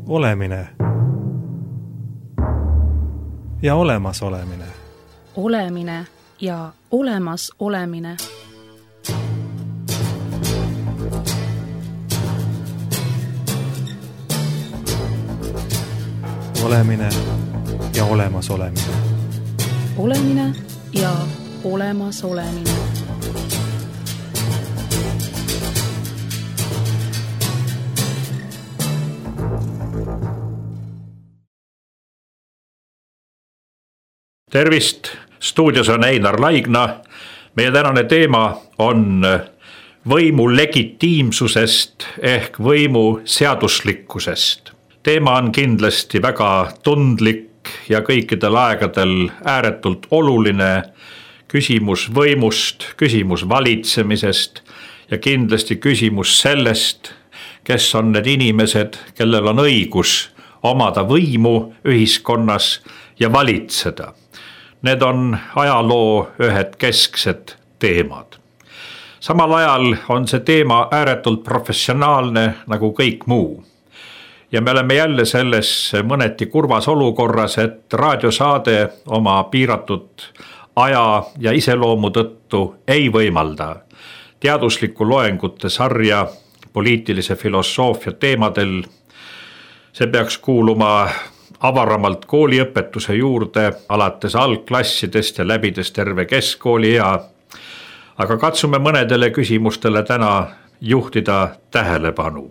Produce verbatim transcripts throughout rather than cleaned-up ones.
Olemine ja olemas olemine. Olemine ja olemas olemine. Olemine ja olemas olemine. Olemine ja olemas olemine. Tervist, stuudios on Einar Laigna. Meie tänane teema on võimu legitiimsusest ehk võimu seaduslikkusest. Teema on kindlasti väga tundlik ja kõikidel aegadel ääretult oluline. Küsimus võimust, küsimus valitsemisest ja kindlasti küsimus sellest, kes on need inimesed, kellel on õigus omada võimu ühiskonnas ja valitseda. Need on ajaloo ühed kesksed teemad. Samal ajal on see teema ääretult professionaalne nagu kõik muu. Ja me oleme jälle selles mõneti kurvas olukorras, et raadiosaade oma piiratud aja ja iseloomu tõttu ei võimalda teaduslikku loengute sarja poliitilise filosoofia teemadel. See peaks kuuluma avaramalt kooliõpetuse juurde, alates algklassidest ja läbides terve keskkooli ea. Aga katsume mõnedele küsimustele täna juhtida tähelepanu.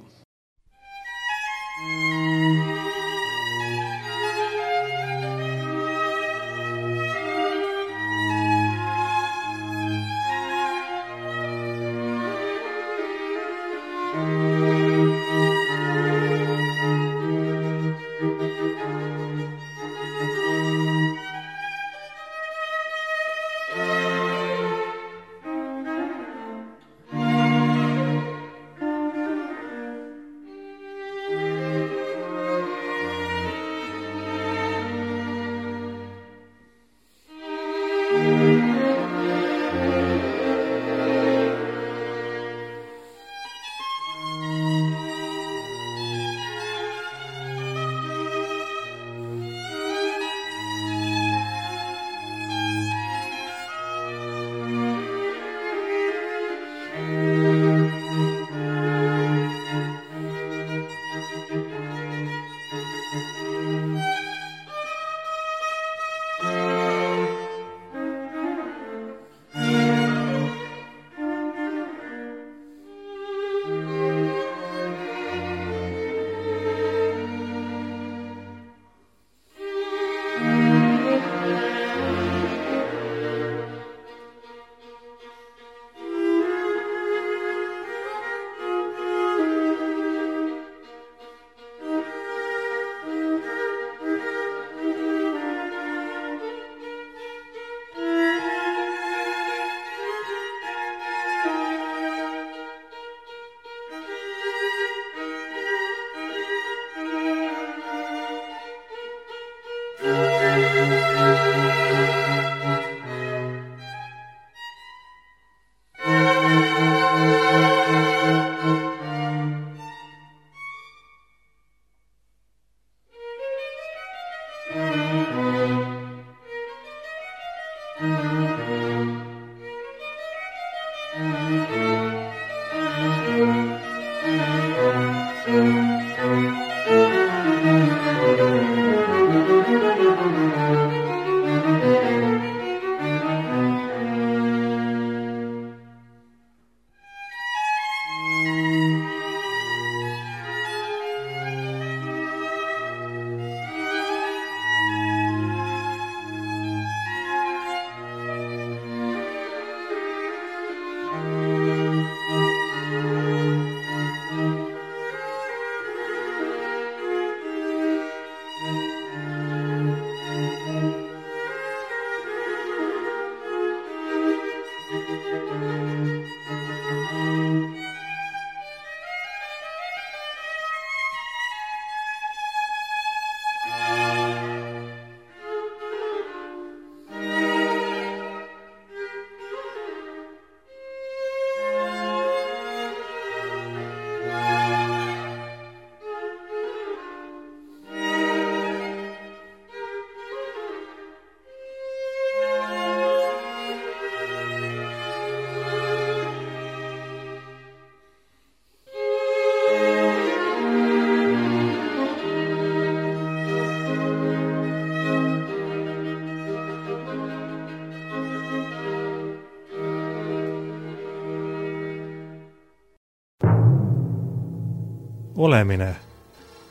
olemine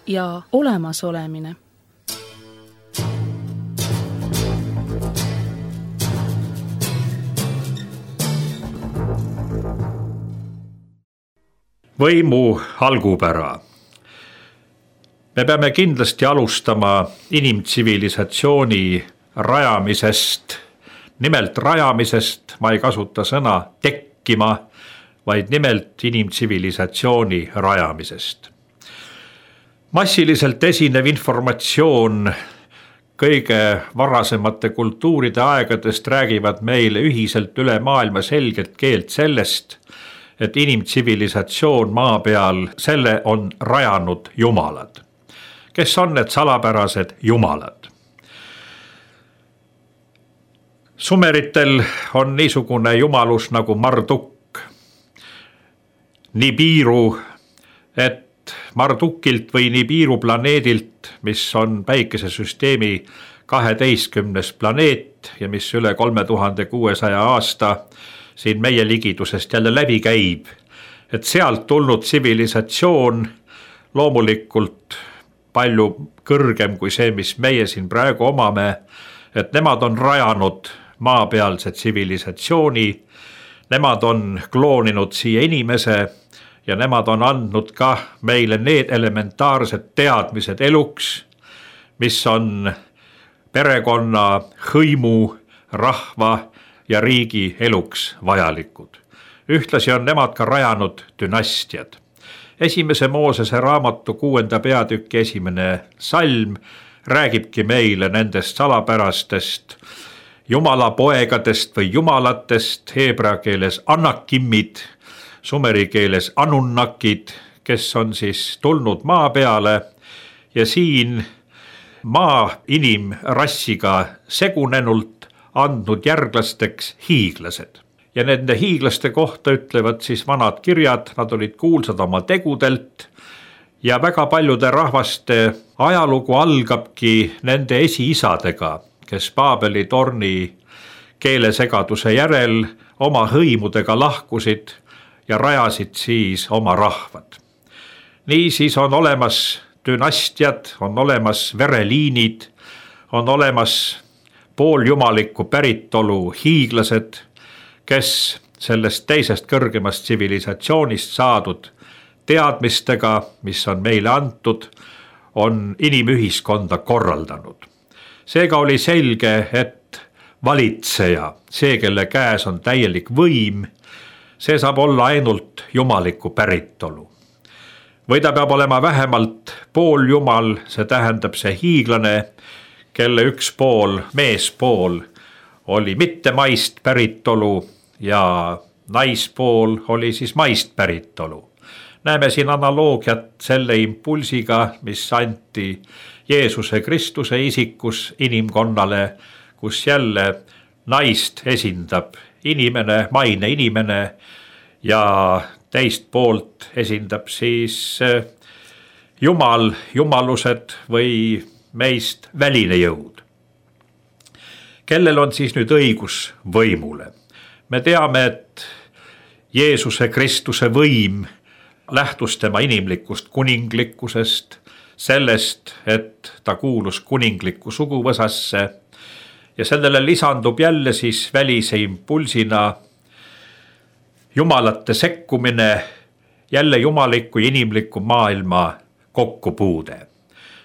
ja olemasolemine. Võimu algupära. Me peame kindlasti alustama inimtsivilisatsiooni rajamisest. Nimelt rajamisest, ma ei kasuta sõna tekkima, vaid nimelt inimtsivilisatsiooni rajamisest. Massiliselt esinev informatsioon kõige varasemate kultuuride aegadest räägivad meile ühiselt üle maailma selget keelt sellest, et inimtsivilisatsioon maa peal, selle on rajanud jumalad. Kes on need salapärased jumalad? Sumeritel on niisugune jumalus nagu Marduk. Nibiru, et Mardukilt või Nibiru planeedilt, mis on päikesesüsteemi kaheteistkümnes planeet ja mis üle kolme tuhande kuuesaja aasta siin meie ligidusest jälle läbi käib, et sealt tulnud tsivilisatsioon loomulikult palju kõrgem kui see, mis meie siin praegu omame, et nemad on rajanud maapealse tsivilisatsiooni, nemad on klooninud siia inimese ja nemad on andnud ka meile need elementaarsed teadmised eluks, mis on perekonna, hõimu, rahva ja riigi eluks vajalikud. Ühtlasi on nemad ka rajanud dünastiad. Esimese Moosese raamatu kuuenda peatüki esimene salm räägibki meile nendest salapärastest jumala poegadest või jumalatest, heebrea keeles anakimmid, sumeri keeles anunnakid, kes on siis tulnud maa peale ja siin maa inimrassiga segunenult andnud järglasteks hiiglased. Ja nende hiiglaste kohta ütlevad siis vanad kirjad, nad olid kuulsad oma tegudelt ja väga paljude rahvaste ajalugu algabki nende esiisadega, kes Paabeli torni keelesegaduse järel oma hõimudega lahkusid ja rajasid siis oma rahvad. Niisiis on olemas dünastiad, on olemas vereliinid, on olemas pooljumalikku päritolu hiiglased, kes sellest teisest kõrgemast tsivilisatsioonist saadud teadmistega, mis on meile antud, on inimühiskonda korraldanud. Seega oli selge, et valitseja, see, kelle käes on täielik võim, see saab olla ainult jumaliku päritolu. Või ta peab olema vähemalt pooljumal, see tähendab see hiiglane, kelle üks pool, meespool, oli mitte maist päritolu ja naispool oli siis maist päritolu. Näeme siin analoogiat selle impulsiga, mis anti Jeesuse Kristuse isikus inimkonnale, kus jälle naist esindab inimene, maine inimene ja teist poolt esindab siis jumal, jumalused või meist väline jõud. Kellel on siis nüüd õigus võimule? Me teame, et Jeesuse Kristuse võim lähtus tema inimlikust kuninglikkusest, sellest, et ta kuulus kuninglikku suguvõsasse ja sellele lisandub jälle siis välise impulsina jumalate sekkumine, jälle jumaliku ja inimliku maailma kokkupuude.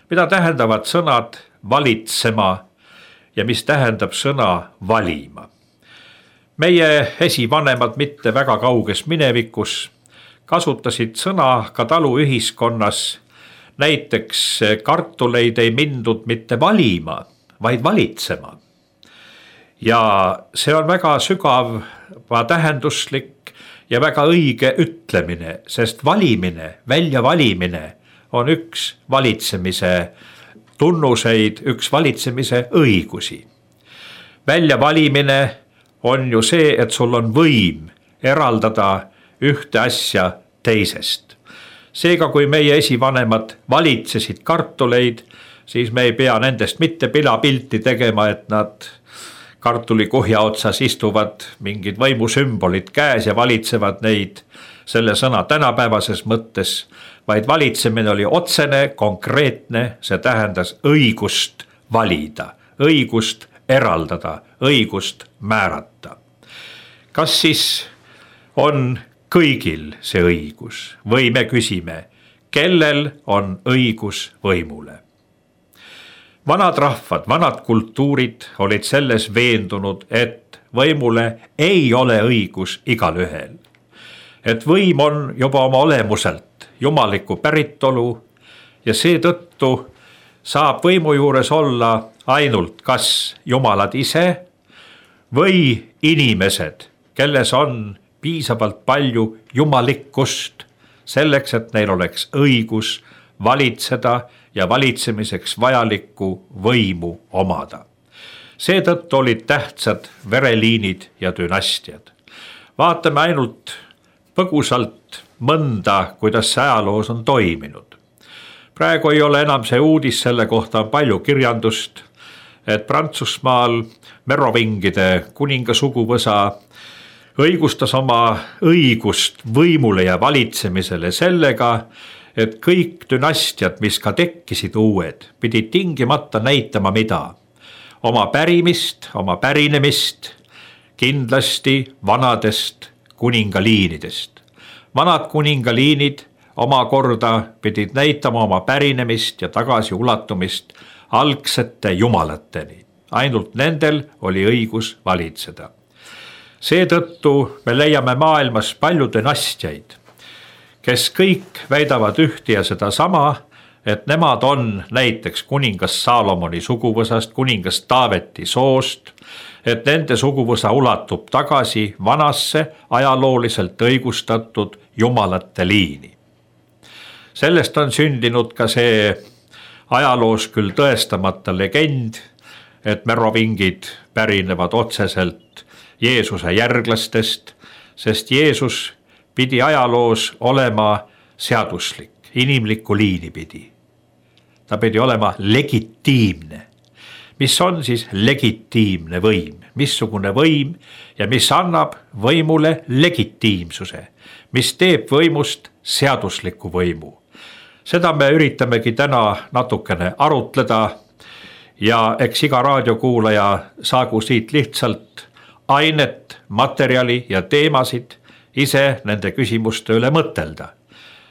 Mida tähendavad sõnad valitsema ja mis tähendab sõna valima? Meie esivanemad mitte väga kauges minevikus kasutasid sõna ka taluühiskonnas, näiteks kartuleid ei mindud mitte valima, vaid valitsema. Ja see on väga sügav, tähenduslik ja väga õige ütlemine, sest valimine, väljavalimine on üks valitsemise tunnuseid, üks valitsemise õigusi. Väljavalimine on ju see, et sul on võim eraldada ühte asja teisest. Seega, kui meie esivanemad valitsesid kartuleid, siis me ei pea nendest mitte pilapilti tegema, et nad kartulikuhja otsas istuvad mingid võimusümbolid käes ja valitsevad neid. selle sõna tänapäevases mõttes, vaid valitsemine oli otsene, konkreetne, see tähendas õigust valida, õigust eraldada, õigust määrata. Kas siis on kõigil see õigus või me küsime, kellel on õigus võimule? Vanad rahvad, vanad kultuurid olid selles veendunud, et võimule ei ole õigus igal ühel. Et võim on juba oma olemuselt jumaliku päritolu ja seetõttu saab võimu juures olla ainult kas jumalad ise või inimesed, kelles on piisavalt palju jumalikkust selleks, et neil oleks õigus valitseda ja valitsemiseks vajalikku võimu omada. Seetõttu olid tähtsad vereliinid ja dünastiad. Vaatame ainult põgusalt mõnda, kuidas see ajaloos on toiminud. Praegu ei ole enam see uudis, selle kohta on palju kirjandust, et Prantsusmaal merovingide kuninga suguvõsa õigustas oma õigust võimule ja valitsemisele sellega, et kõik dünastiad, mis ka tekkisid uued, pidid tingimata näitama mida? Oma pärimist, oma pärinemist, kindlasti vanadest kuningaliinidest. Vanad kuningaliinid omakorda pidid näitama oma pärinemist ja tagasiulatumist algsete jumalateni. Ainult nendel oli õigus valitseda. Seetõttu me leiame maailmas palju dünastiaid, kes kõik väidavad ühte ja seda sama, et nemad on näiteks kuningas Saalomoni suguvõsast, kuningas Taaveti soost, et nende suguvõsa ulatub tagasi vanasse ajalooliselt õigustatud jumalate liini. Sellest on sündinud ka see ajaloos küll tõestamata legend, et merovingid pärinevad otseselt Jeesuse järglastest, sest Jeesus pidi ajaloos olema seaduslik, inimlikku liini pidi. Ta pidi olema legitiimne. Mis on siis legitiimne võim? Missugune võim ja mis annab võimule legitiimsuse? Mis teeb võimust seadusliku võimu? Seda me üritamegi täna natukene arutleda ja eks iga raadiokuulaja saagu siit lihtsalt ainet, materjali ja teemasid ise nende küsimuste üle mõtelda,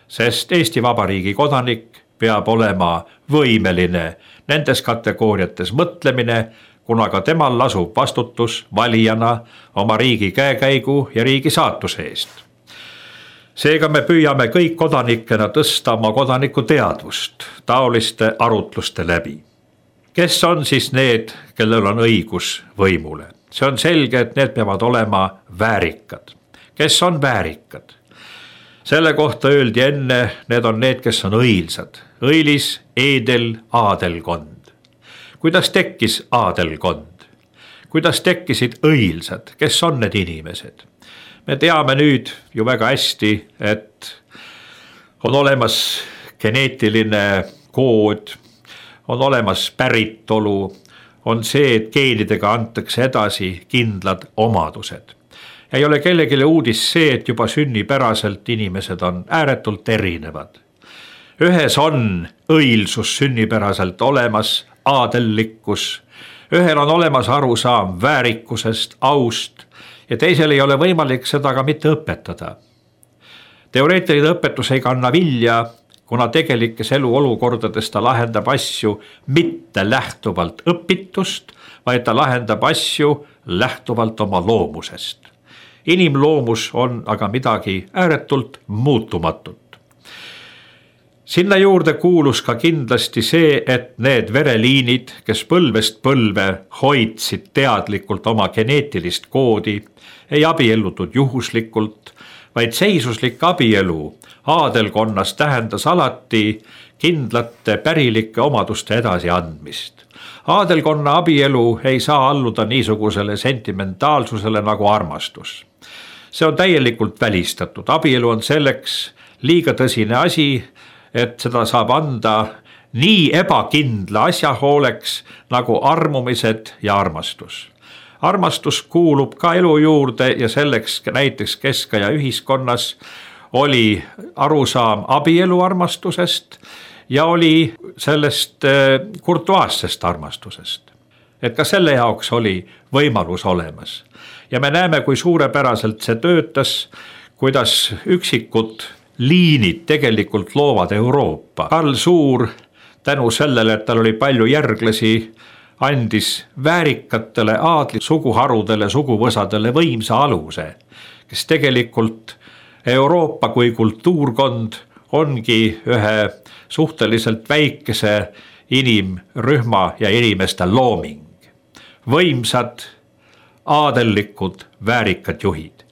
sest Eesti Vabariigi kodanik peab olema võimeline nendes kategooriates mõtlemine, kuna ka temal lasub vastutus valijana oma riigi käekäigu ja riigi saatuse eest. Seega me püüame kõik kodanikena tõsta oma kodaniku teadvust taoliste arutluste läbi. Kes on siis need, kellel on õigus võimule? See on selge, et need peavad olema väärikad. Kes on väärikad? Selle kohta öeldi enne, need on need, kes on õilsad. Õilis, eedel, aadelkond. Kuidas tekkis aadelkond? Kuidas tekkisid õilsad? Kes on need inimesed? Me teame nüüd ju väga hästi, et on olemas geneetiline kood, on olemas päritolu, on see, et geenidega antakse edasi kindlad omadused. Ei ole kellegile uudis see, et juba sünnipäraselt inimesed on ääretult erinevad. Ühes on õilsus sünnipäraselt olemas, aadellikkus, ühel on olemas arusaam väärikusest, aust ja teisel ei ole võimalik seda ka mitte õpetada. Teoreetiline õpetus ei kanna vilja, kuna tegelikes eluolukordades ta lahendab asju mitte lähtuvalt õpitust, vaid ta lahendab asju lähtuvalt oma loomusest. Inimloomus on aga midagi ääretult muutumatut. Sinna juurde kuulus ka kindlasti see, et need vereliinid, kes põlvest põlve hoidsid teadlikult oma geneetilist koodi, ei abiellutud juhuslikult, vaid seisuslik abielu aadelkonnas tähendas alati kindlate pärilike omaduste edasiandmist. Aadelkonna abielu ei saa alluda niisugusele sentimentaalsusele nagu armastus. See on täielikult välistatud. Abielu on selleks liiga tõsine asi, et seda saab anda nii ebakindla asja hooleks nagu armumised ja armastus. Armastus kuulub ka elu juurde ja selleks näiteks keskaja ühiskonnas oli arusaam abielu armastusest ja oli sellest kurtuaassest armastusest. Et ka selle jaoks oli võimalus olemas. Ja me näeme, kui suurepäraselt see töötas, kuidas üksikud liinid tegelikult loovad Euroopa. Karl Suur tänu sellele, et tal oli palju järglasi, andis väärikatele aadli suguharudele, suguvõsadele võimsa aluse, kes tegelikult Euroopa kui kultuurkond ongi ühe suhteliselt väikese inimrühma ja inimeste looming. Võimsad, aadellikud, väärikad juhid.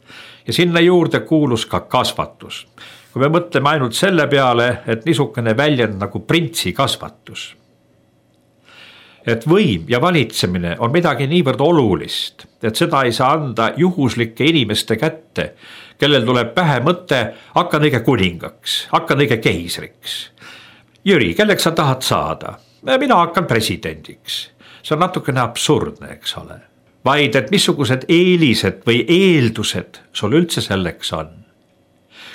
Ja sinna juurde kuulus ka kasvatus. Kui me mõtleme ainult selle peale, et niisugune väljend nagu printsi kasvatus. Et võim ja valitsemine on midagi niivõrd olulist, et seda ei saa anda juhuslike inimeste kätte, kellel tuleb pähe mõte, hakkan õige kuningaks, hakkan õige keisriks. Jüri, kelleks sa tahad saada? Mina hakkan presidendiks. See on natukene absurdne, eks ole. Vaid, et missugused eelised või eeldused sul üldse selleks on.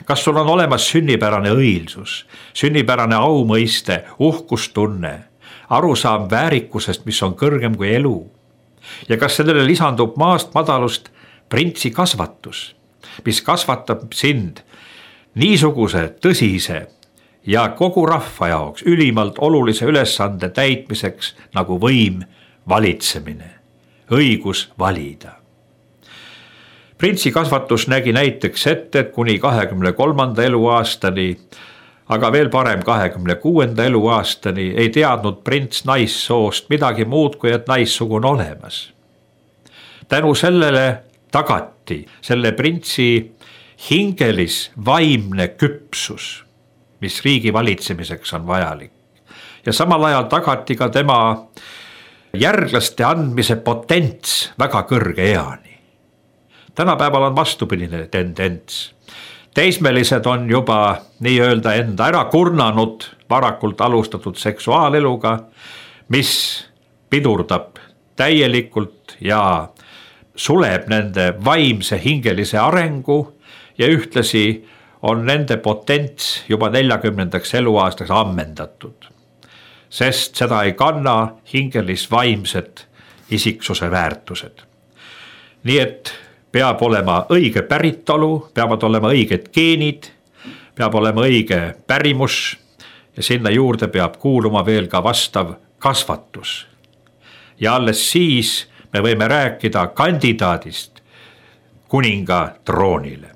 Kas sul on olemas sünnipärane õilsus, sünnipärane aumõiste, uhkustunne, arusaam väärikusest, mis on kõrgem kui elu? Ja kas sellele lisandub maast madalust printsi kasvatus, mis kasvatab sind niisuguse tõsise ja kogu rahva jaoks ülimalt olulise ülesande täitmiseks nagu võim, valitsemine, õigus valida. Printsi kasvatus nägi näiteks ette, et kuni kahekümne kolmanda eluaastani, aga veel parem kahekümne kuuenda eluaastani ei teadnud prints naissoost midagi muud, kui et naissugu on olemas. Tänu sellele tagati selle printsi hingelis vaimne küpsus, mis riigi valitsemiseks on vajalik. Ja samal ajal tagati ka tema järglaste andmise potents väga kõrge eani. Tänapäeval on vastupidine tendents. Teismelised on juba nii-öelda enda ära kurnanud varakult alustatud seksuaaleluga, mis pidurdab täielikult ja suleb nende vaimse hingelise arengu ja ühtlasi on nende potents juba neljakümnendaks eluaastaks ammendatud, sest seda ei kanna hingelis vaimsed isiksuse väärtused. Nii et peab olema õige päritolu, peavad olema õiged geenid, peab olema õige pärimus ja sinna juurde peab kuuluma veel ka vastav kasvatus. Ja alles siis me võime rääkida kandidaadist kuninga troonile.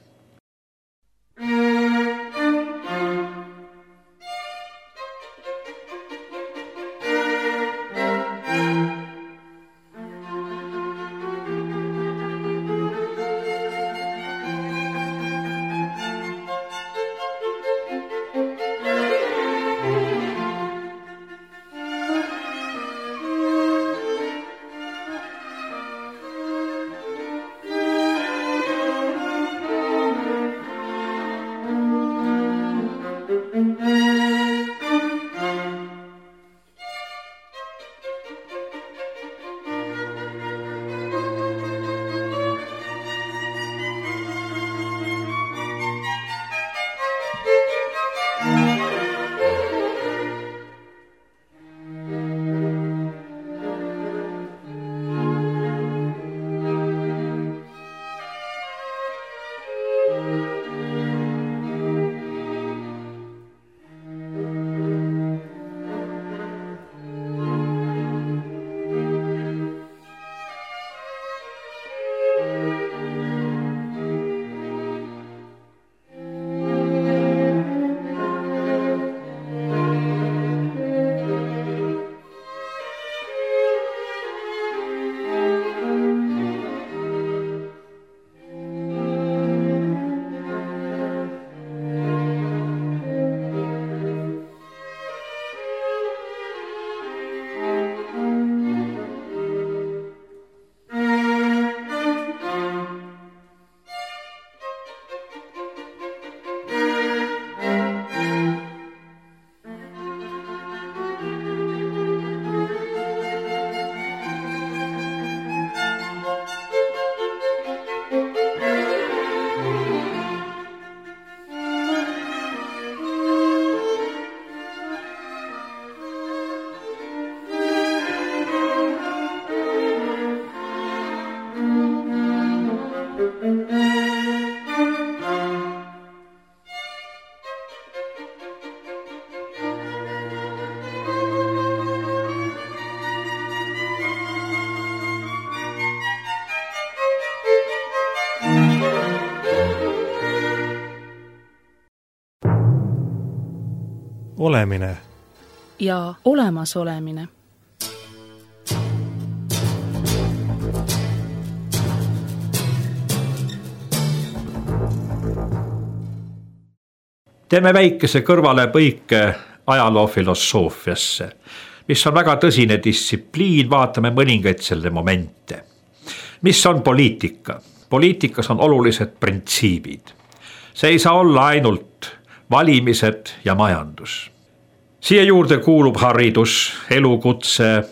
olemine ja olemasolemine. Teeme väikese kõrvalepõike ajaloofilosoofiasse, mis on väga tõsine distsipliin, vaatame mõningaid selle momente. Mis on poliitika? Poliitikas on olulised printsiibid. See ei saa olla ainult valimised ja majandus. Siia juurde kuulub haridus, elukutse,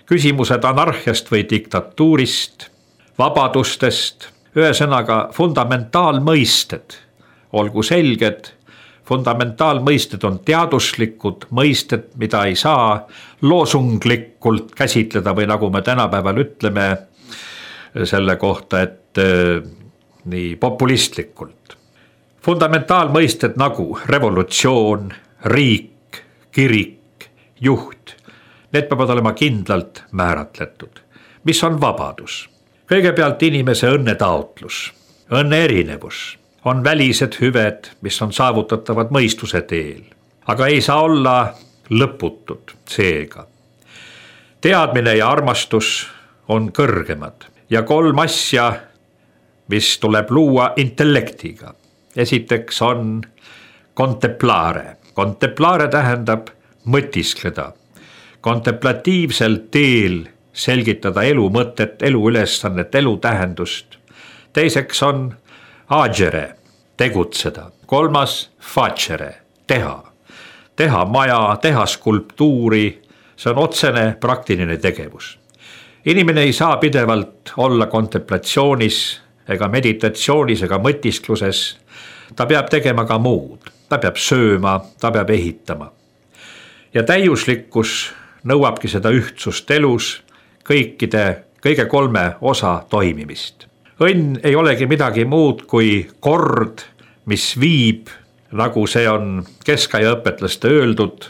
küsimused anarhiast või diktatuurist, vabadustest, ühesõnaga fundamentaalmõisted, olgu selged. Fundamentaalmõisted on teaduslikud mõisted, mida ei saa loosunglikult käsitleda või nagu me tänapäeval ütleme selle kohta, et äh, nii populistlikult. Fundamentaalmõisted nagu revolutsioon, riik, kirik, juht, need peavad olema kindlalt määratletud. Mis on vabadus? Kõigepealt inimese õnnetaotlus, õnne erinevus. On välised hüved, mis on saavutatavad mõistuse teel, aga ei saa olla lõputud seega. Teadmine ja armastus on kõrgemad ja kolm asja, mis tuleb luua intellektiga. Esiteks on contemplare. Contemplare tähendab mõtiskleda. Kontemplatiivsel teel selgitada elu mõtet, elu ülesannet, elu tähendust. Teiseks on agere, tegutseda. Kolmas facere, teha. Teha maja, teha skulptuuri, see on otsene praktiline tegevus. Inimene ei saa pidevalt olla kontemplatsioonis ega meditatsioonis ega mõtiskluses. Ta peab tegema ka muud. Ta peab sööma, ta peab ehitama. Ja täiuslikkus nõuabki seda ühtsust elus, kõikide, kõige kolme osa toimimist. Õnn ei olegi midagi muud kui kord, mis viib, nagu see on keskaja õpetlaste öeldud,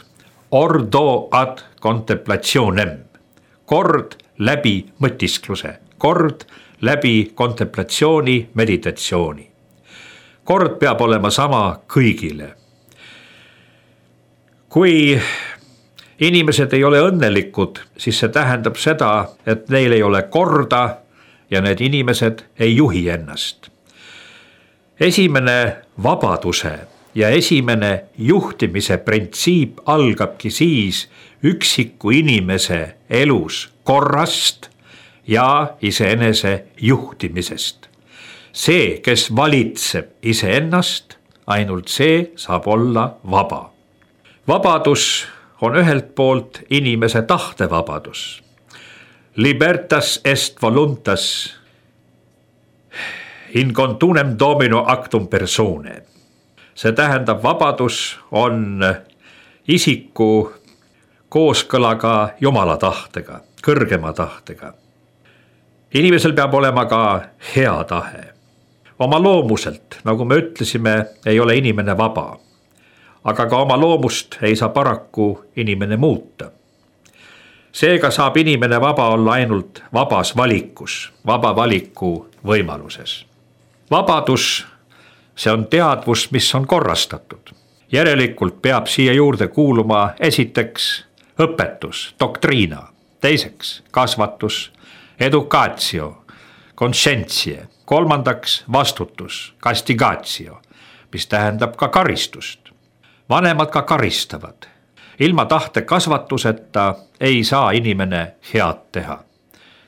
ordo ad contemplationem. Kord läbi mõtiskluse, kord läbi kontemplatsiooni, meditatsiooni. Kord peab olema sama kõigile. Kui inimesed ei ole õnnelikud, siis see tähendab seda, et neil ei ole korda ja need inimesed ei juhi ennast. Esimene vabaduse ja esimene juhtimise printsiip algabki siis üksiku inimese elus korrast ja iseenese juhtimisest. See, kes valitseb iseennast, ainult see saab olla vaba. Vabadus on ühelt poolt inimese tahtevabadus. Libertas est voluntas in contunem domino actum persone. See tähendab, vabadus on isiku kooskõlaga Jumala tahtega, kõrgema tahtega. Inimesel peab olema ka hea tahe. Oma loomuselt, nagu me ütlesime, ei ole inimene vaba. Aga ka oma loomust ei saa paraku inimene muuta. Seega saab inimene vaba olla ainult vabas valikus, vaba valiku võimaluses. Vabadus, see on teadvus, mis on korrastatud. Järelikult peab siia juurde kuuluma esiteks õpetus, doktriina, teiseks kasvatus, educatio, conscientie, kolmandaks vastutus, castigatio, mis tähendab ka karistust. Vanemad ka karistavad. Ilma tahte kasvatuseta ei saa inimene head teha.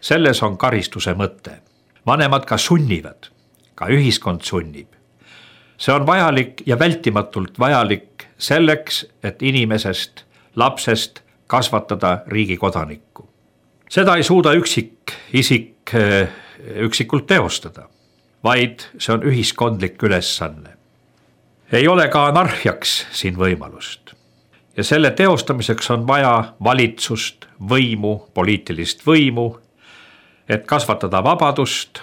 Selles on karistuse mõte. Vanemad ka sunnivad, ka ühiskond sunnib. See on vajalik ja vältimatult vajalik selleks, et inimesest, lapsest kasvatada riigi kodanikku. Seda ei suuda üksik isik üksikult teostada, vaid see on ühiskondlik ülesanne. Ei ole ka anarhiaks siin võimalust. Ja selle teostamiseks on vaja valitsust, võimu, poliitilist võimu. Et kasvatada vabadust,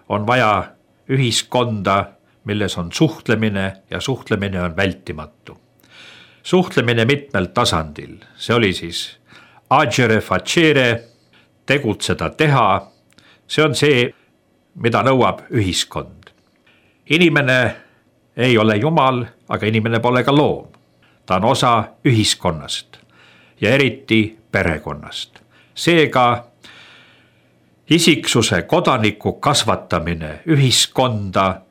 on vaja ühiskonda, milles on suhtlemine ja suhtlemine on vältimatu. Suhtlemine mitmel tasandil, see oli siis agere facere, tegutseda teha, see on see, mida nõuab ühiskond. Inimene ei ole Jumal, aga inimene pole ka loom. ta on osa ühiskonnast ja eriti perekonnast. Seega isiksuse kodaniku kasvatamine ühiskonda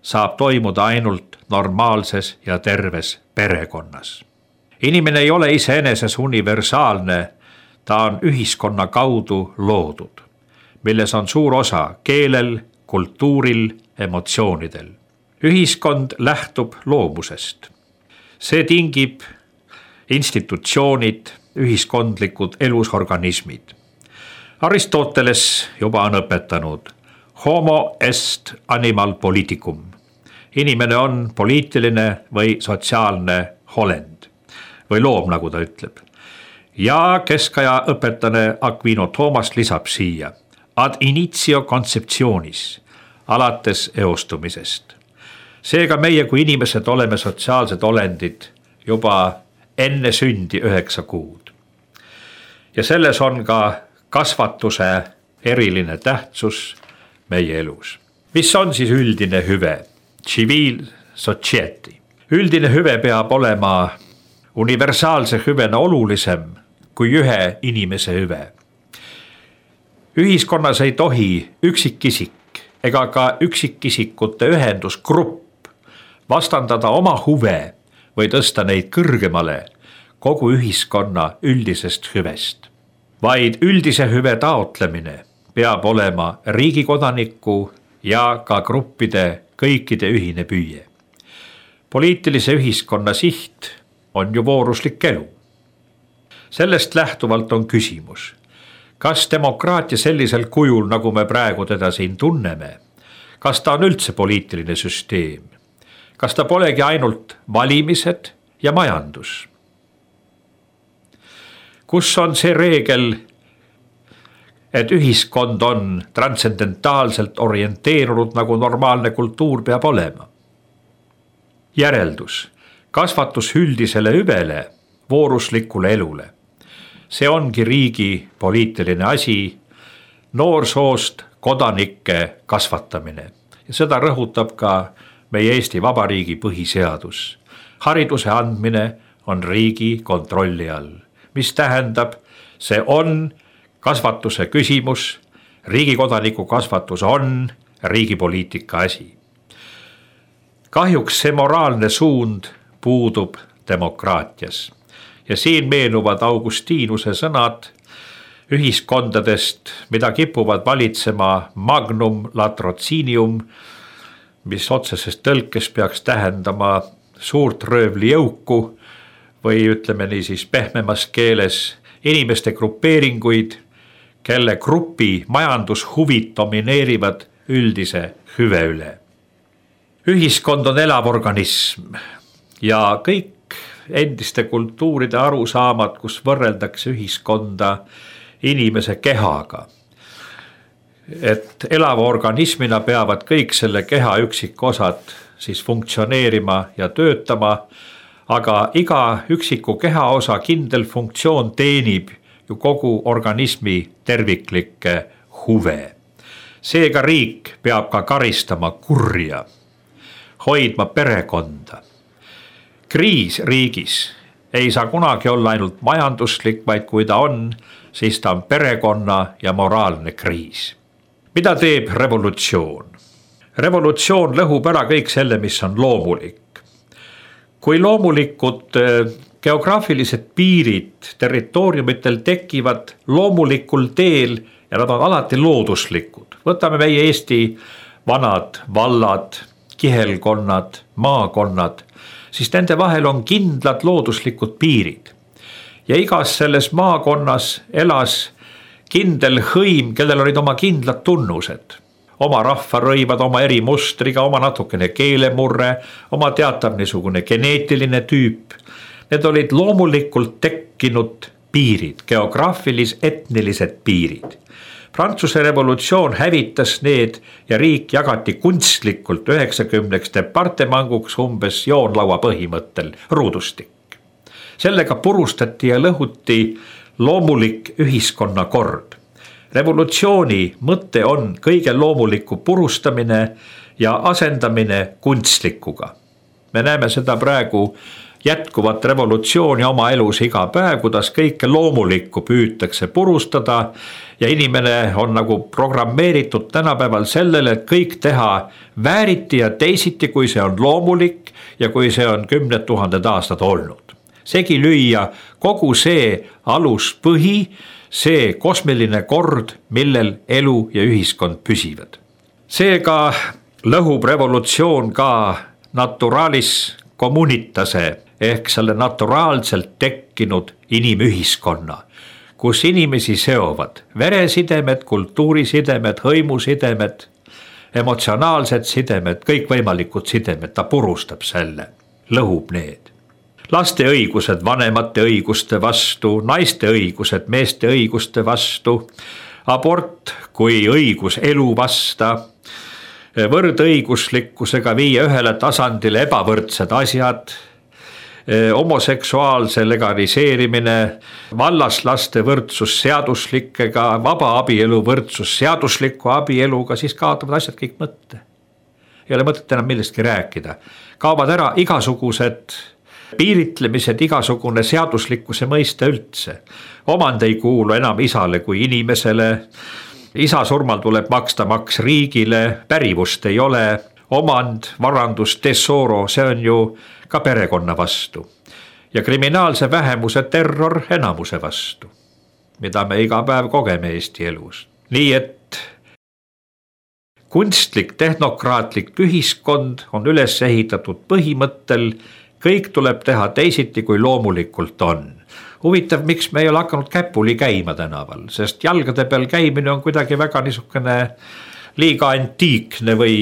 saab toimuda ainult normaalses ja terves perekonnas. Inimene ei ole iseeneses universaalne, ta on ühiskonna kaudu loodud, milles on suur osa keelel, kultuuril, emotsioonidel. Ühiskond lähtub loomusest. See tingib institutsioonid, ühiskondlikud elusorganismid. Aristoteles juba on õpetanud homo est animal politicum. Inimene on poliitiline või sotsiaalne olend või loom, nagu ta ütleb. Ja keskaja õpetane Aquino Thomas lisab siia ad initio conceptionis, alates eostumisest. Seega meie kui inimesed oleme sotsiaalsed olendid juba enne sündi üheksa kuud. Ja selles on ka kasvatuse eriline tähtsus meie elus. Mis on siis üldine hüve? Civil society. Üldine hüve peab olema universaalse hüvena olulisem kui ühe inimese hüve. Ühiskonnas ei tohi üksikisik ega ka üksikisikute ühendusgrupp vastandada oma huve või tõsta neid kõrgemale kogu ühiskonna üldisest hüvest. Vaid üldise hüve taotlemine peab olema riigi kodaniku ja ka gruppide kõikide ühine püüe. Poliitilise ühiskonna siht on ju vooruslik elu. Sellest lähtuvalt on küsimus, kas demokraatia sellisel kujul, nagu me praegu teda siin tunneme, kas ta on üldse poliitiline süsteem? Kas ta polegi ainult valimised ja majandus? Kus on see reegel, et ühiskond on transcendentaalselt orienteerunud, nagu normaalne kultuur peab olema? Järeldus, kasvatus üldisele hüvele, vooruslikule elule. See ongi riigi poliitiline asi, noorsoost kodanike kasvatamine. Ja seda rõhutab ka meie Eesti Vabariigi põhiseadus. Hariduse andmine on riigi kontrolli all, mis tähendab, see on kasvatuse küsimus, riigi kodaniku kasvatus on riigi poliitika asi. Kahjuks see moraalne suund puudub demokraatias. Ja siin meenuvad Augustiinuse sõnad ühiskondadest, mida kipuvad valitsema magnum latrocinium, mis otseses tõlkes peaks tähendama suurt röövli jõuku või ütleme nii siis pehmemas keeles inimeste grupeeringuid, kelle grupi majandushuvid domineerivad üldise hüve üle. Ühiskond on elav organism ja kõik endiste kultuuride arusaamad, kus võrreldakse ühiskonda inimese kehaga. Et elava organismina peavad kõik selle keha üksikosad siis funktsioneerima ja töötama, aga iga üksiku kehaosa kindel funktsioon teenib ju kogu organismi terviklikke huve. Seega riik peab ka karistama kurja, hoidma perekonda. Kriis riigis ei saa kunagi olla ainult majanduslik, vaid kui ta on, siis ta on perekonna ja moraalne kriis. Mida teeb revolutsioon? Revolutsioon lõhub ära kõik selle, mis on loomulik. Kui loomulikud geograafilised piirid territooriumitel tekivad loomulikul teel ja nad on alati looduslikud. Võtame meie Eesti vanad vallad, kihelkonnad, maakonnad, siis nende vahel on kindlad looduslikud piirid. Ja igas selles maakonnas elas kindel hõim, kellel olid oma kindlad tunnused. Oma rahvarõivad, oma eri mustriga, oma natukene keelemurre, oma teatav niisugune geneetiline tüüp. Need olid loomulikult tekkinud piirid, geograafilis-etnilised piirid. Prantsuse revolutsioon hävitas need ja riik jagati kunstlikult üheksakümneks departemanguks umbes joonlaua põhimõttel ruudustik. Sellega purustati ja lõhuti loomulik ühiskonna kord. Revolutsiooni mõte on kõige loomuliku purustamine ja asendamine kunstlikuga. Me näeme seda praegu jätkuvat revolutsiooni oma elus iga päev, kuidas kõike loomulikku püütakse purustada ja inimene on nagu programmeeritud tänapäeval sellele, et kõik teha vääriti ja teisiti, kui see on loomulik ja kui see on kümned tuhanded aastad olnud. Segi lüüa kogu see aluspõhi, see kosmiline kord, millel elu ja ühiskond püsivad. Seega lõhub revolutsioon ka naturalis communitase ehk selle naturaalselt tekkinud inimühiskonna, kus inimesi seovad veresidemed, kultuurisidemed, hõimusidemed, emotsionaalsed sidemed, kõikvõimalikud sidemed, ta purustab selle, lõhub need. Laste õigused vanemate õiguste vastu, naiste õigused meeste õiguste vastu, abort kui õigus elu vasta, võrdõiguslikkusega viia ühele tasandile ebavõrdsed asjad, homoseksuaalse legaliseerimine, vallaslaste võrdsus seaduslikega, vaba abielu võrdsus seadusliku abieluga, siis kaotavad asjad kõik mõtte. Ei ole mõtet enam millestki rääkida. Kaovad ära igasugused piiritlemised, igasugune seaduslikkuse mõiste üldse. Omand ei kuulu enam isale kui inimesele, isa surmal tuleb maksta maks riigile, pärivust ei ole, omand, varandus, tesoro, see on ju ka perekonna vastu. Ja kriminaalse vähemuse terror enamuse vastu, mida me iga päev kogeme Eesti elus. Nii et kunstlik, tehnokraatlik ühiskond on üles ehitatud põhimõttel, kõik tuleb teha teisiti, kui loomulikult on. Huvitav, miks me ei ole hakanud käpuli käima tänaval, sest jalgade peal käimine on kuidagi väga niisugune liiga antiikne või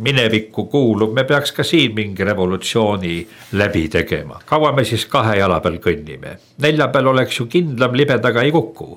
minevikku kuulub. Me peaks ka siin mingi revolutsiooni läbi tegema. Kaua me siis kahe jala peal kõnnime? Nelja peal oleks ju kindlam, libedaga ei kuku.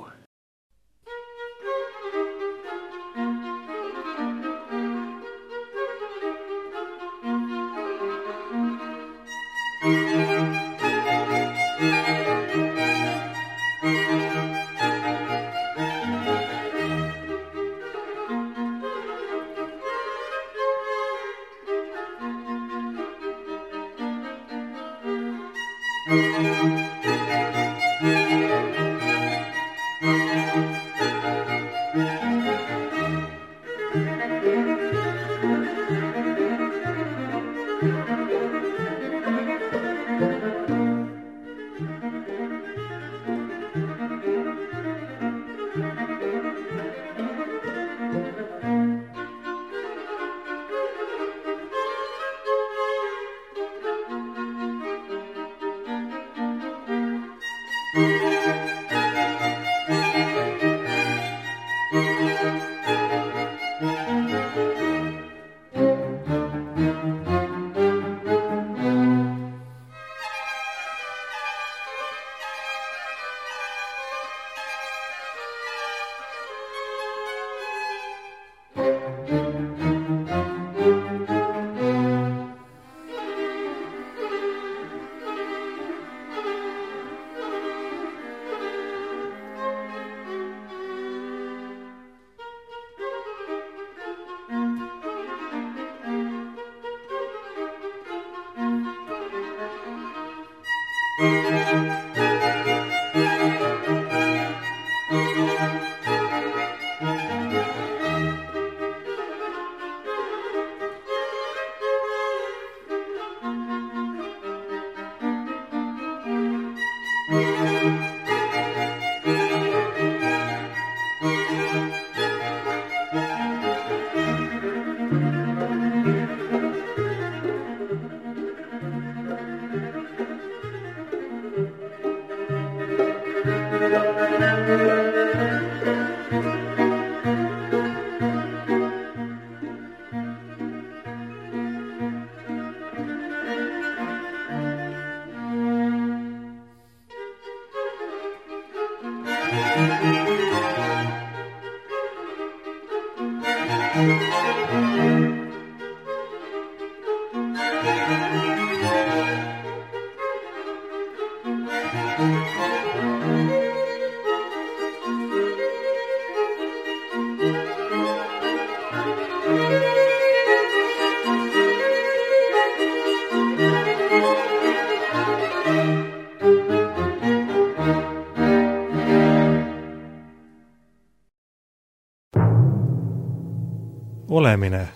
olemine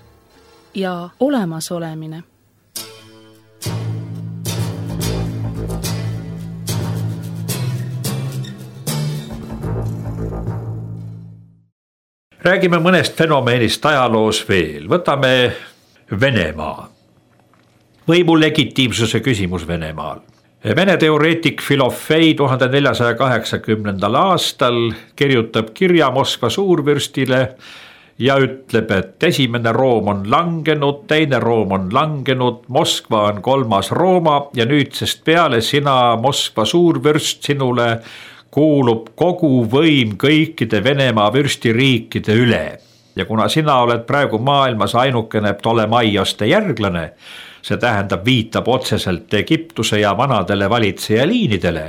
ja olemasolemine. Räägime mõnest fenomeenist ajaloos veel. Võtame Venemaa. Võimu legitiimsuse küsimus Venemaal. Vene teoreetik Filofei tuhande neljasaja kaheksakümnendal aastal kirjutab kirja Moskva suurvürstile ja ütleb, et esimene Room on langenud, teine Room on langenud, Moskva on kolmas Rooma ja nüüdsest peale sina, Moskva suurvürst, sinule kuulub kogu võim kõikide Venemaa vürstiriikide üle. Ja kuna sina oled praegu maailmas ainukene Ptolemaioste järglane, see tähendab viitab otseselt Egiptuse ja vanadele valitsejaliinidele,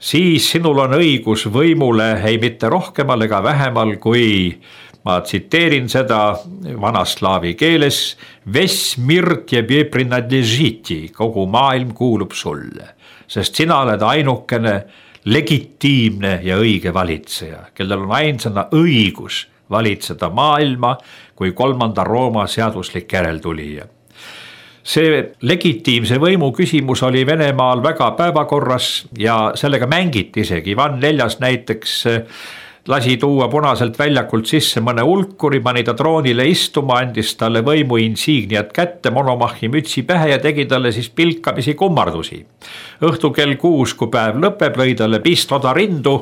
siis sinul on õigus võimule ei mitte rohkemal ega vähemal kui, ma tsiteerin seda vanaslaavi keeles, Vesmir tebe prinadležiti, kogu maailm kuulub sulle, sest sina oled ainukene legitiimne ja õige valitseja, kellel on ainsana õigus valitseda maailma kui kolmanda Rooma seaduslik järeltulija. See legitiimse võimu küsimus oli Venemaal väga päevakorras ja sellega mängiti isegi. Ivan Neljas näiteks lasi tuua punaselt väljakult sisse mõne ulkuri, pani ta troonile istuma, andis talle võimu insigniat kätte, monomahi mütsi pähe ja tegi talle siis pilkamisi kummardusi. Õhtu kell kuus, kui päev lõpeb, lõi talle pistoda rindu,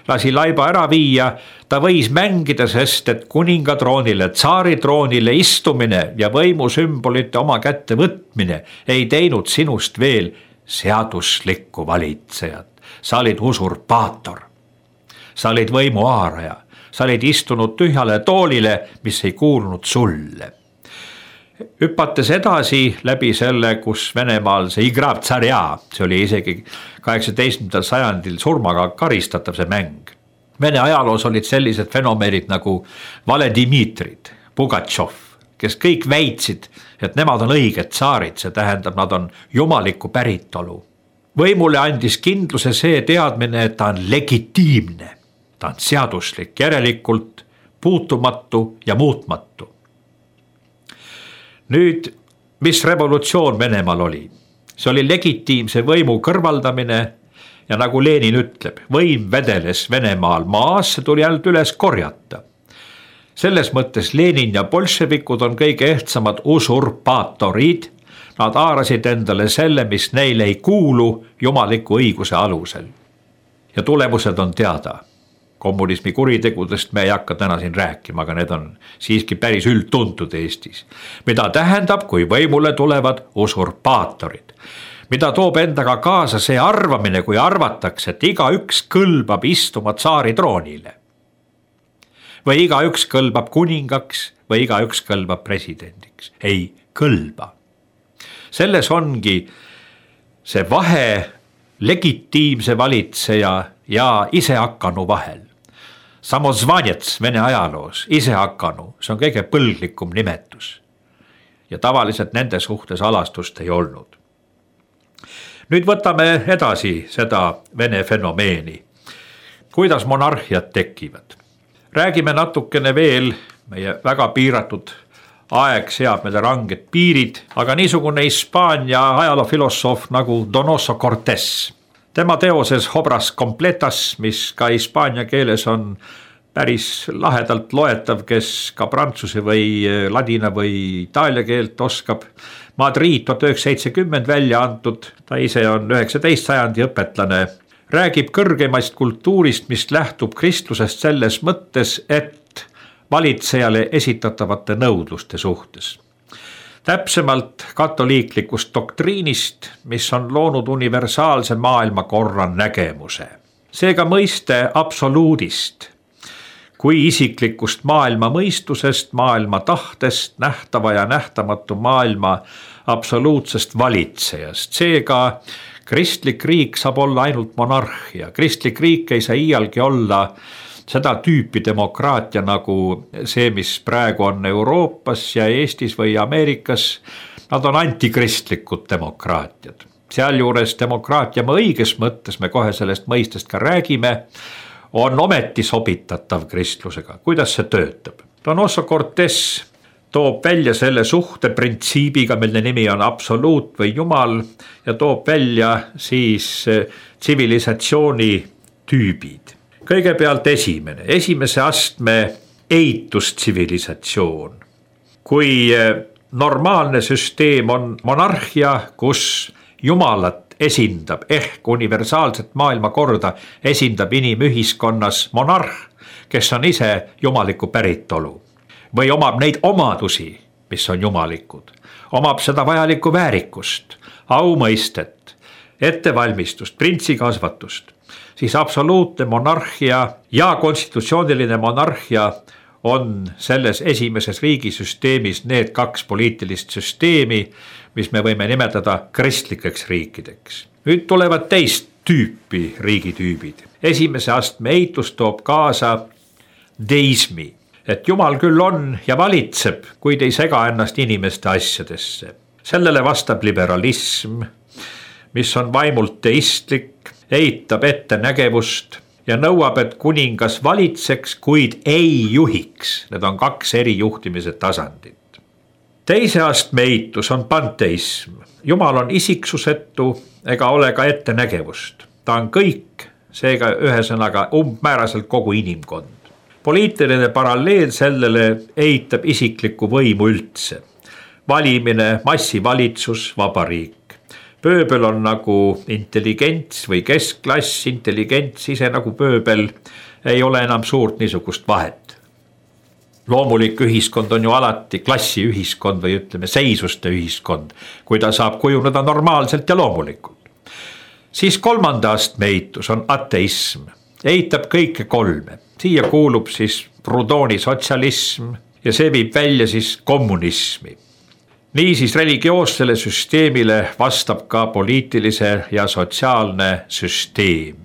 lasi laiba ära viia, ta võis mängida, sest et kuninga troonile, tsaari troonile istumine ja võimu sümbolite oma kätte võtmine ei teinud sinust veel seaduslikku valitsejat. Sa olid usurpaator. Sa olid võimu haaraja, sa olid istunud tühjale toolile, mis ei kuulunud sulle. Hüpates edasi läbi selle, kus Venemaal see igrav tsarja, see oli isegi kaheksateistkümnendal sajandil surmaga karistatav see mäng. Vene ajaloos olid sellised fenomeenid nagu Valedimitrid, Pugatšov, kes kõik väitsid, et nemad on õiged tsaarid, see tähendab, nad on jumaliku päritolu. Võimule andis kindluse see teadmine, et ta on legitiimne. Ta on seaduslik, järelikult puutumatu ja muutmatu. Nüüd, mis revolutsioon Venemaal oli? See oli legitiimse võimu kõrvaldamine ja nagu Lenin ütleb, võim vedeles Venemaal maas, see tuli ainult üles korjata. Selles mõttes Lenin ja bolševikud on kõige ehtsamad usurpaatorid. Nad haarasid endale selle, mis neile ei kuulu jumaliku õiguse alusel. Ja tulemused on teada. Kommunismi kuritegudest me ei hakka täna siin rääkima, aga need on siiski päris üldtuntud Eestis. Mida tähendab, kui võimule tulevad usurpaatorid? Mida toob endaga kaasa see arvamine, kui arvatakse, et iga üks kõlbab istuma tsaari troonile? Või iga üks kõlbab kuningaks või iga üks kõlbab presidendiks? Ei kõlba. Selles ongi see vahe legitiimse valitseja ja isehakkanu vahel. Samozvanets Vene ajaloos, isehakkanu, see on kõige põlglikum nimetus. Ja tavaliselt nende suhtes alastust ei olnud. Nüüd võtame edasi seda Vene fenomeeni. Kuidas monarhiad tekivad? Räägime natukene veel, meie väga piiratud aeg seab meile ranged piirid, aga niisugune Hispaania ajaloofilosoof nagu Donoso Cortés. Tema teoses Obras completas, mis ka hispaania keeles on päris lahedalt loetav, kes ka prantsuse või ladina või itaalia keelt oskab. Madrid tuhat üheksasada seitsekümmend välja antud, ta ise on üheksateistkümnenda sajandi õpetlane, räägib kõrgemast kultuurist, mis lähtub kristlusest selles mõttes, et valitsejale esitatavate nõudluste suhtes. Täpsemalt katoliiklikust doktriinist, mis on loonud universaalse maailmakorra nägemuse. Seega mõiste absoluudist, kui isiklikust maailma mõistusest, maailma tahtest, nähtava ja nähtamatu maailma absoluutsest valitsejast. Seega kristlik riik saab olla ainult monarhia. Kristlik riik ei saa iialgi olla seda tüüpi demokraatia nagu see, mis praegu on Euroopas ja Eestis või Ameerikas, nad on antikristlikud demokraatiad. Sealjuures demokraatia õiges mõttes, me kohe sellest mõistest ka räägime, on ometi sobitatav kristlusega. Kuidas see töötab? Donoso Cortés toob välja selle suhte printsiibiga, mille nimi on absoluut või jumal, ja toob välja siis tsivilisatsiooni tüübid. Kõigepealt esimene, esimese astme eitustsivilisatsioon. Kui normaalne süsteem on monarhia, kus jumalat esindab ehk universaalset maailmakorda esindab inimühiskonnas monarh, kes on ise jumaliku päritolu või omab neid omadusi, mis on jumalikud, omab seda vajalikku väärikust, aumõistet, ettevalmistust, printsikasvatust, siis absoluutne monarhia ja konstitutsiooniline monarhia on selles esimeses riigisüsteemis need kaks poliitilist süsteemi, mis me võime nimetada kristlikeks riikideks. Nüüd tulevad teist tüüpi riigitüübid. Esimese astme eitus toob kaasa deismi, et jumal küll on ja valitseb, kuid ei sega ennast inimeste asjadesse. Sellele vastab liberalism, mis on vaimult teistlik, eitab ettenägevust ja nõuab, et kuningas valitseks, kuid ei juhiks. Need on kaks eri juhtimise tasandit. Teise astme eitus on panteism. Jumal on isiksusetu ega ole ka ettenägevust. Ta on kõik, seega ühesõnaga umbmääraselt kogu inimkond. Poliitiline paralleel sellele eitab isiklikku võimu üldse. Valimine, massivalitsus, vabariik. Pööbel on nagu intelligents või keskklass, intelligents ise nagu pööbel, ei ole enam suurt niisugust vahet. Loomulik ühiskond on ju alati klassiühiskond või ütleme seisuste ühiskond, kui ta saab kujuneda normaalselt ja loomulikult. Siis kolmanda astme eitus on ateism, eitab kõike kolme. Siia kuulub siis Proudhoni sotsialism ja see viib välja siis kommunismi. Niisiis religioossele süsteemile vastab ka poliitilise ja sotsiaalne süsteem.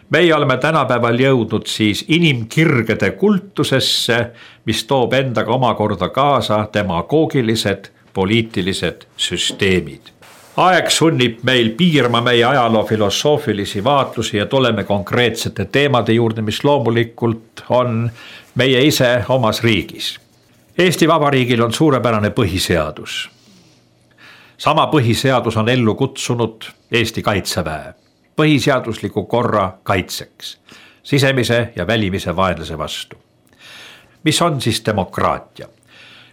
Meie oleme tänapäeval jõudnud siis inimkirgede kultusesse, mis toob endaga omakorda kaasa demagoogilised poliitilised süsteemid. Aeg sunnib meil piirma meie ajaloo filosoofilisi vaatlusi ja tuleme konkreetsete teemade juurde, mis loomulikult on meie ise omas riigis. Eesti Vabariigil on suurepärane põhiseadus. Sama põhiseadus on ellu kutsunud Eesti Kaitseväe põhiseadusliku korra kaitseks, sisemise ja välimise vaenlase vastu. Mis on siis demokraatia?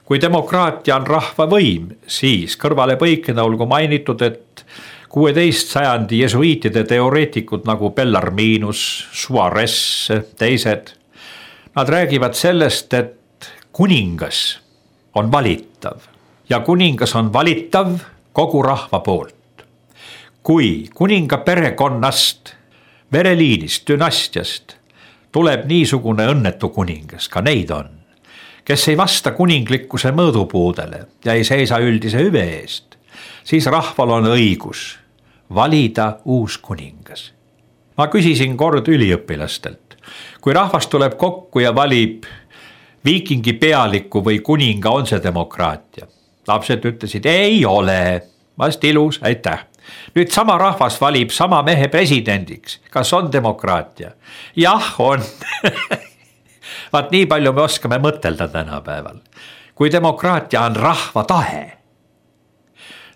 Kui demokraatia on rahva võim, siis kõrvale põikena olgu mainitud, et kuueteist sajandi jesuiitide teoreetikud nagu Bellarminus, Suarez, teised, nad räägivad sellest, et kuningas on valitav ja kuningas on valitav kogu rahva poolt. Kui kuninga perekonnast, vereliinist, dünastiast tuleb niisugune õnnetu kuningas, ka neid on, kes ei vasta kuninglikkuse mõõdupuudele ja ei seisa üldise hüve eest, siis rahval on õigus valida uus kuningas. Ma küsisin kord üliõpilastelt, kui rahvas tuleb kokku ja valib viikingi pealiku või kuninga, on see demokraatia? Lapsed ütlesid, ei ole, vast ilus, aitäh. Nüüd sama rahvas valib sama mehe presidendiks, kas on demokraatia? Jah, on. Vaat nii palju me oskame mõtelda tänapäeval. Kui demokraatia on rahva tahe,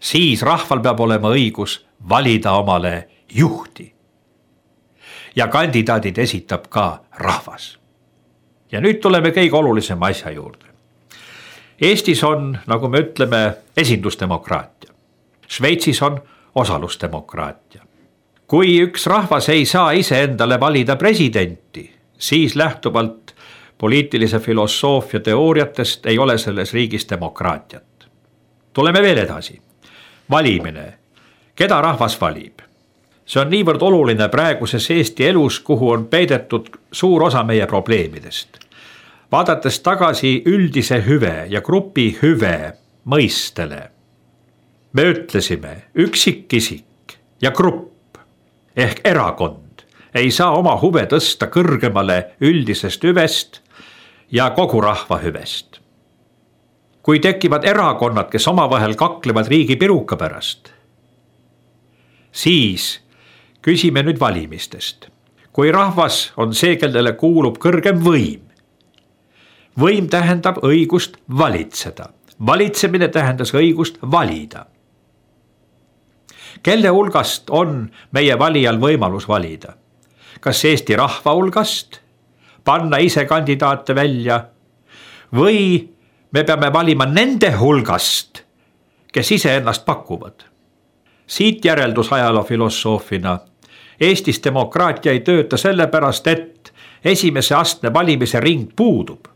siis rahval peab olema õigus valida omale juhti. Ja kandidaadid esitab ka rahvas. Ja nüüd tuleme kõige olulisema asja juurde. Eestis on, nagu me ütleme, esindusdemokraatia. Šveitsis on osalusdemokraatia. Kui üks rahvas ei saa ise endale valida presidenti, siis lähtuvalt poliitilise filosoofia teooriatest ei ole selles riigis demokraatiat. Tuleme veel edasi. Valimine. Keda rahvas valib? See on niivõrd oluline praeguses Eesti elus, kuhu on peidetud suur osa meie probleemidest. Vaadates tagasi üldise hüve ja grupi hüve mõistele, me ütlesime üksikisik ja grupp ehk erakond ei saa oma huve tõsta kõrgemale üldisest hüvest ja kogu rahva hüvest. Kui tekivad erakonnad, kes omavahel kaklevad riigi piruka pärast, siis küsime nüüd valimistest. Kui rahvas on see, kellele kuulub kõrgem võim, võim tähendab õigust valitseda. Valitsemine tähendas õigust valida. Kelle hulgast on meie valijal võimalus valida? Kas Eesti rahva hulgast, panna ise kandidaate välja või me peame valima nende hulgast, kes ise ennast pakuvad? Siit järeldus ajaloofilosoofina. Eestis demokraatia ei tööta sellepärast, et esimese astme valimise ring puudub.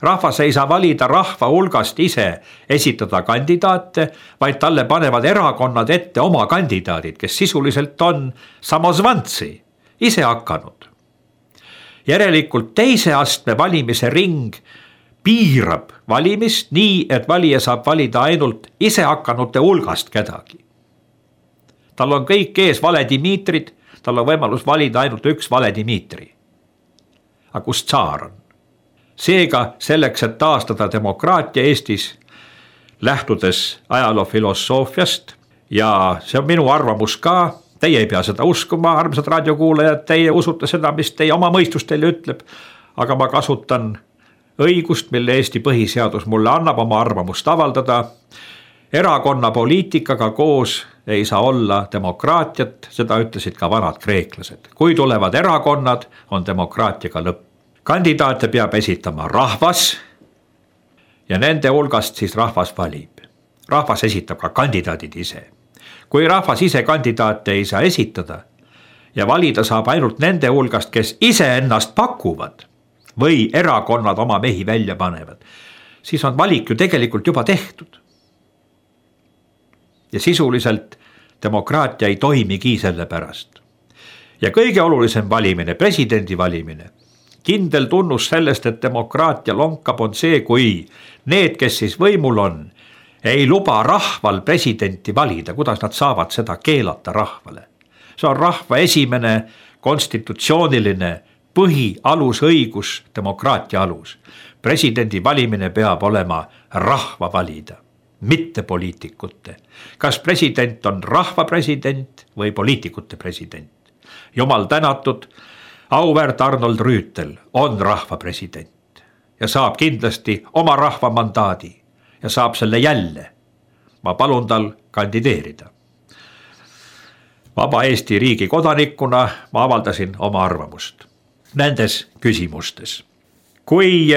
Rahvas ei saa valida rahva hulgast ise esitada kandidaate, vaid talle panevad erakonnad ette oma kandidaadid, kes sisuliselt on samozvantsi, ise hakanud. Järelikult teise astme valimise ring piirab valimist nii, et valija saab valida ainult ise hakkanute hulgast kedagi. Tal on kõik ees vale Dimitrid, tal on võimalus valida ainult üks vale Dimitri. Aga kus tsaar on? Seega selleks, et taastada demokraatia Eestis, lähtudes ajaloofilosoofiast, ja see on minu arvamus ka, teie ei pea seda uskuma, armsad raadiokuulajad, teie usute seda, mis teie oma mõistus teile ütleb, aga ma kasutan õigust, mille Eesti põhiseadus mulle annab oma arvamust avaldada. Erakonna poliitikaga koos ei saa olla demokraatiat, seda ütlesid ka vanad kreeklased. Kui tulevad erakonnad, on demokraatiaga lõpp. Kandidaate peab esitama rahvas ja nende hulgast siis rahvas valib. Rahvas esitab ka kandidaadid ise. Kui rahvas ise kandidaate ei saa esitada ja valida saab ainult nende hulgast, kes ise ennast pakuvad või erakonnad oma mehi välja panevad, siis on valik ju tegelikult juba tehtud. Ja sisuliselt demokraatia ei toimigi selle pärast. Ja kõige olulisem valimine, presidendi valimine, kindel tunnus sellest, et demokraatia lonkab, on see, kui need, kes siis võimul on, ei luba rahval presidenti valida, kuidas nad saavad seda keelata rahvale. See on rahva esimene konstitutsiooniline põhialusõigus, demokraatia alus. Presidendi valimine peab olema rahva valida, mitte poliitikute. Kas president on rahva president või poliitikute president? Jumal tänatud, auväärt Arnold Rüütel on rahva president ja saab kindlasti oma rahva mandaadi ja saab selle jälle. Ma palun tal kandideerida. Vaba Eesti riigi kodanikuna ma avaldasin oma arvamust nendes küsimustes. Kui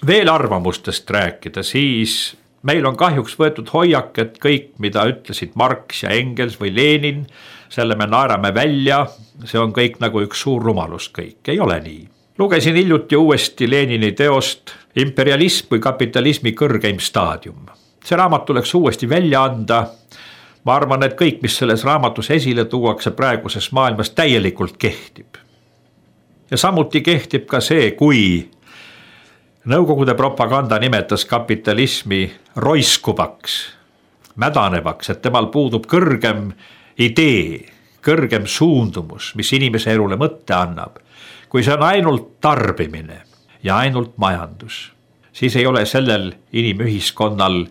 veel arvamustest rääkida, siis meil on kahjuks võetud hoiak, et kõik, mida ütlesid Marx ja Engels või Lenin, selle me naerame välja, see on kõik nagu üks suur rumalus kõik, ei ole nii. Lugesin hiljuti uuesti Lenini teost Imperialism või kapitalismi kõrgeim staadium. See raamat tuleks uuesti välja anda. Ma arvan, et kõik, mis selles raamatus esile tuuakse praeguses maailmas, täielikult kehtib. Ja samuti kehtib ka see, kui Nõukogude propaganda nimetas kapitalismi roiskuvaks, mädanevaks, et temal puudub kõrgem idee, kõrgem suundumus, mis inimese elule mõtte annab. Kui see on ainult tarbimine ja ainult majandus, siis ei ole sellel inimühiskonnal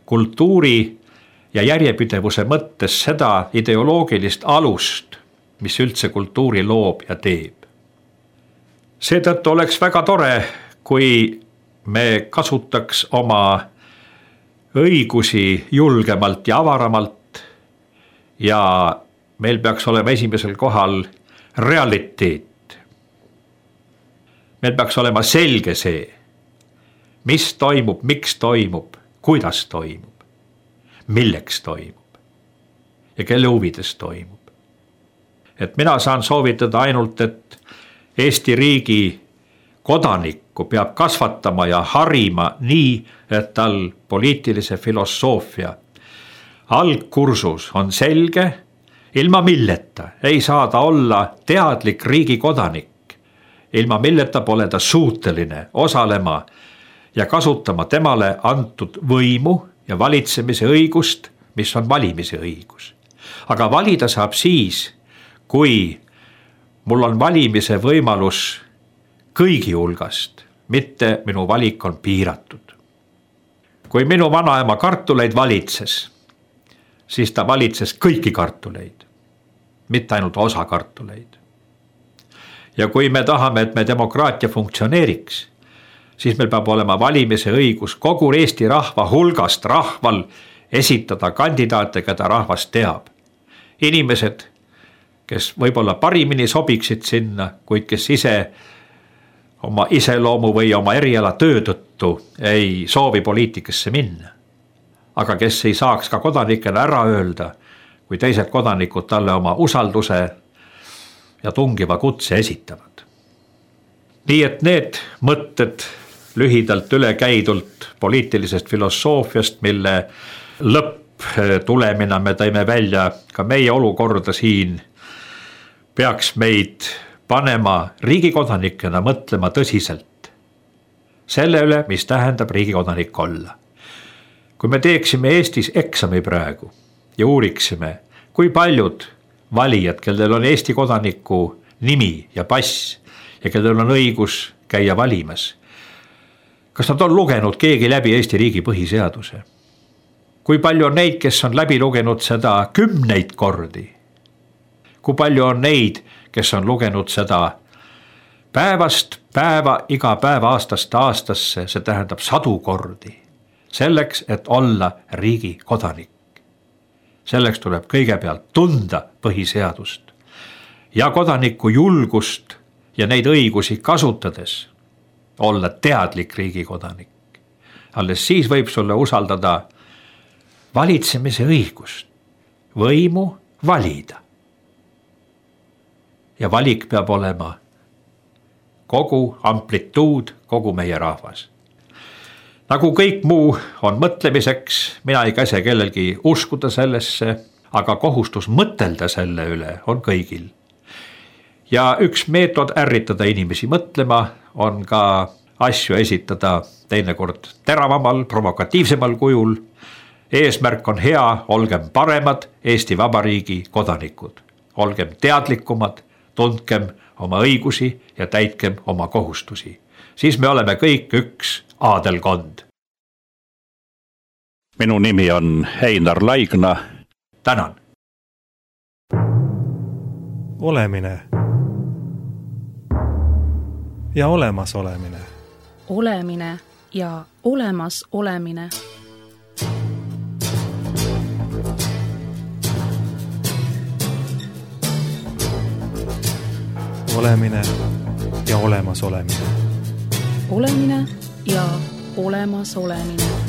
kultuuri ja järjepidevuse mõttes seda ideoloogilist alust, mis üldse kultuuri loob ja teeb. Seetõttu oleks väga tore, kui me kasutaks oma õigusi julgemalt ja avaramalt ja meil peaks olema esimesel kohal realiteet. Meil peaks olema selge see, mis toimub, miks toimub, kuidas toimub, milleks toimub ja kelle huvides toimub. Et mina saan soovitada ainult, et Eesti riigi kodanikku peab kasvatama ja harima nii, et tal poliitilise filosoofia algkursus on selge, ilma milleta ei saa ta olla teadlik riigi kodanik, ilma milleta pole ta suuteline osalema ja kasutama temale antud võimu ja valitsemise õigust, mis on valimise õigus. Aga valida saab siis, kui mul on valimise võimalus kõigi hulgast, mitte minu valik on piiratud. Kui minu vanaema kartuleid valitses, siis ta valitses kõiki kartuleid, mitte ainult osa kartuleid. Ja kui me tahame, et me demokraatia funktsioneeriks, siis meil peab olema valimise õigus kogu Eesti rahva hulgast rahval esitada kandidaate, keda rahvas teab. Inimesed, kes võib-olla parimini sobiksid sinna, kuid kes ise oma iseloomu või oma eriala töö tõttu ei soovi poliitikasse minna. Aga kes ei saaks ka kodanikena ära öelda, kui teised kodanikud talle oma usalduse ja tungiva kutse esitavad. Nii et need mõtted lühidalt ülekäidult poliitilisest filosoofiast, mille lõpptulemina me tõime välja ka meie olukorda siin, peaks meid panema riigikodanikena mõtlema tõsiselt selle üle, mis tähendab riigikodanik olla. Kui me teeksime Eestis eksami praegu ja uuriksime, kui paljud valijad, kellel on Eesti kodaniku nimi ja pass ja kellel on õigus käia valimas, kas nad on lugenud keegi läbi Eesti riigi põhiseaduse? Kui palju on neid, kes on läbi lugenud seda kümneid kordi? Kui palju on neid, kes on lugenud seda päevast päeva, iga päeva aastast aastasse, see tähendab sadu kordi, selleks, et olla riigi kodanik. Selleks tuleb kõigepealt tunda põhiseadust ja kodaniku julgust ja neid õigusi kasutades olla teadlik riigi kodanik. Alles siis võib sulle usaldada valitsemise õigust, võimu valida. Ja valik peab olema kogu amplituud, kogu meie rahvas. Nagu kõik muu on mõtlemiseks, mina ei käse kellelgi uskuda sellesse, aga kohustus mõtelda selle üle on kõigil. Ja üks meetod ärritada inimesi mõtlema on ka asju esitada teinekord teravamal, provokatiivsemal kujul. Eesmärk on hea, olgem paremad Eesti Vabariigi kodanikud. Olgem teadlikumad, tundkem oma õigusi ja täitkem oma kohustusi. Siis me oleme kõik üks aadelkond. Minu nimi on Einar Laigna. Tänan. Olemine ja olemas olemine. Olemine ja olemas olemine. Olemine ja olemas olemine. Olemine ja olemas olemine.